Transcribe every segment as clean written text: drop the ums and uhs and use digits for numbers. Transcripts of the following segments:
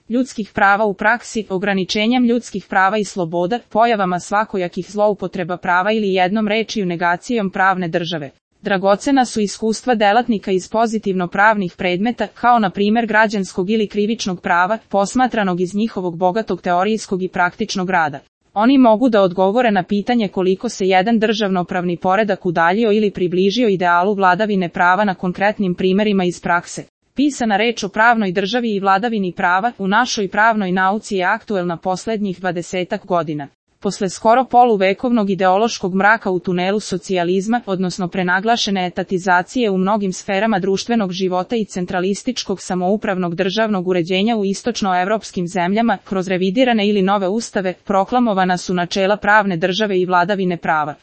ljudskih prava u praksi, ograničenjem ljudskih prava i sloboda, pojavama svakojakih zloupotreba prava ili jednom rečju negacijom pravne države. Dragocena su iskustva delatnika iz pozitivno pravnih predmeta, kao na primjer građanskog ili krivičnog prava, posmatranog iz njihovog bogatog teorijskog i praktičnog rada. Oni mogu da odgovore na pitanje koliko se jedan državnopravni poredak udaljio ili približio idealu vladavine prava na konkretnim primjerima iz prakse. Pisana reč o pravnoj državi i vladavini prava u našoj pravnoj nauci je aktuelna posljednjih 20 godina. Posle skoro poluvekovnog ideološkog mraka u tunelu socijalizma, odnosno prenaglašene etatizacije u mnogim sferama društvenog života i centralističkog samoupravnog državnog uređenja u istočnoevropskim zemljama, kroz revidirane ili nove ustave, proklamovana su načela pravne države i vladavine prava.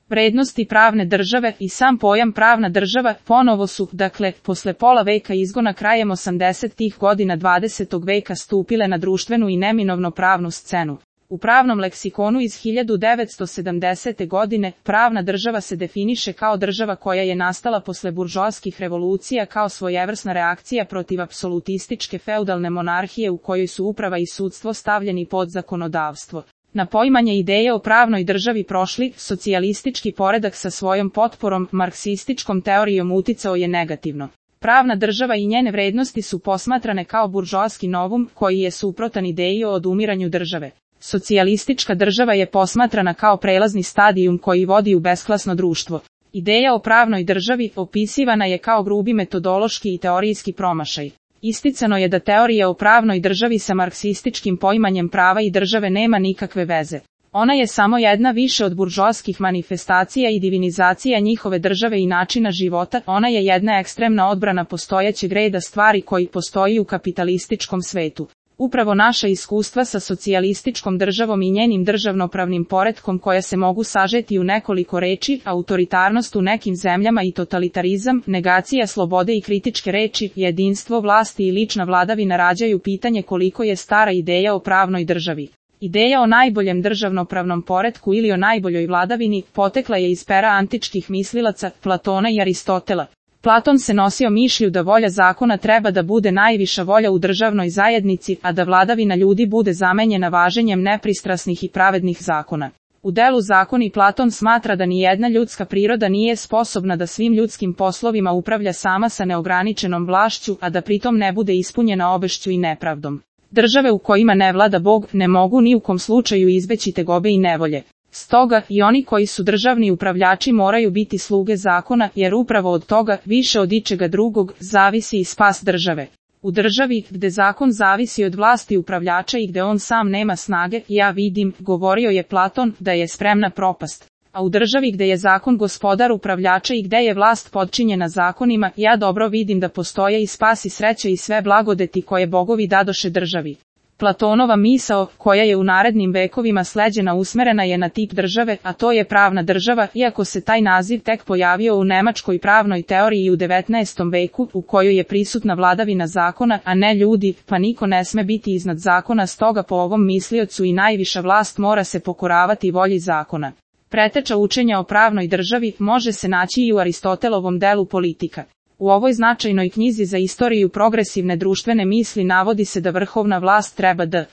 Vrednosti pravne države i sam pojam pravna država ponovo su, dakle, posle pola veka izgona krajem 80-ih godina 20. veka stupile na društvenu i neminovno pravnu scenu. U pravnom leksikonu iz 1970. godine, pravna država se definiše kao država koja je nastala posle buržoaskih revolucija kao svojevrsna reakcija protiv apsolutističke feudalne monarhije u kojoj su uprava i sudstvo stavljeni pod zakonodavstvo. Na poimanje ideje o pravnoj državi prošli, socijalistički poredak sa svojom potporom, marksističkom teorijom uticao je negativno. Pravna država i njene vrednosti su posmatrane kao buržoaski novum, koji je suprotan ideji o odumiranju države. Socijalistička država je posmatrana kao prelazni stadijum koji vodi u besklasno društvo. Ideja o pravnoj državi opisivana je kao grubi metodološki i teorijski promašaj. Isticano je da teorija o pravnoj državi sa marksističkim poimanjem prava i države nema nikakve veze. Ona je samo jedna više od buržoaskih manifestacija i divinizacija njihove države i načina života, ona je jedna ekstremna odbrana postojećeg reda stvari koji postoji u kapitalističkom svetu. Upravo naša iskustva sa socijalističkom državom i njenim državnopravnim poretkom koja se mogu sažeti u nekoliko reči, autoritarnost u nekim zemljama i totalitarizam, negacija slobode i kritičke reči, jedinstvo vlasti i lična vladavina rađaju pitanje koliko je stara ideja o pravnoj državi. Ideja o najboljem državnopravnom poretku ili o najboljoj vladavini potekla je iz pera antičkih mislilaca, Platona i Aristotela. Platon se nosio mišlju da volja zakona treba da bude najviša volja u državnoj zajednici, a da vladavina ljudi bude zamenjena važenjem nepristrasnih i pravednih zakona. U delu Zakoni Platon smatra da nijedna ljudska priroda nije sposobna da svim ljudskim poslovima upravlja sama sa neograničenom vlašću, a da pritom ne bude ispunjena obešću i nepravdom. Države u kojima ne vlada Bog ne mogu ni u kom slučaju izbeći tegobe i nevolje. Stoga, i oni koji su državni upravljači moraju biti sluge zakona, jer upravo od toga, više od ičega drugog, zavisi i spas države. U državi, gde zakon zavisi od vlasti upravljača i gde on sam nema snage, ja vidim, govorio je Platon, da je spremna propast. A u državi gde je zakon gospodar upravljača i gde je vlast podčinjena zakonima, ja dobro vidim da postoje i spas i sreća i sve blagodeti koje bogovi dadoše državi. Platonova misao, koja je u narednim vekovima sleđena usmerena je na tip države, a to je pravna država, iako se taj naziv tek pojavio u nemačkoj pravnoj teoriji u 19. veku, u kojoj je prisutna vladavina zakona, a ne ljudi, pa niko ne sme biti iznad zakona, stoga po ovom misliocu i najviša vlast mora se pokoravati volji zakona. Preteča učenja o pravnoj državi može se naći i u Aristotelovom delu Politika. U ovoj značajnoj knjizi za istoriju progresivne društvene misli navodi se da vrhovna vlast treba da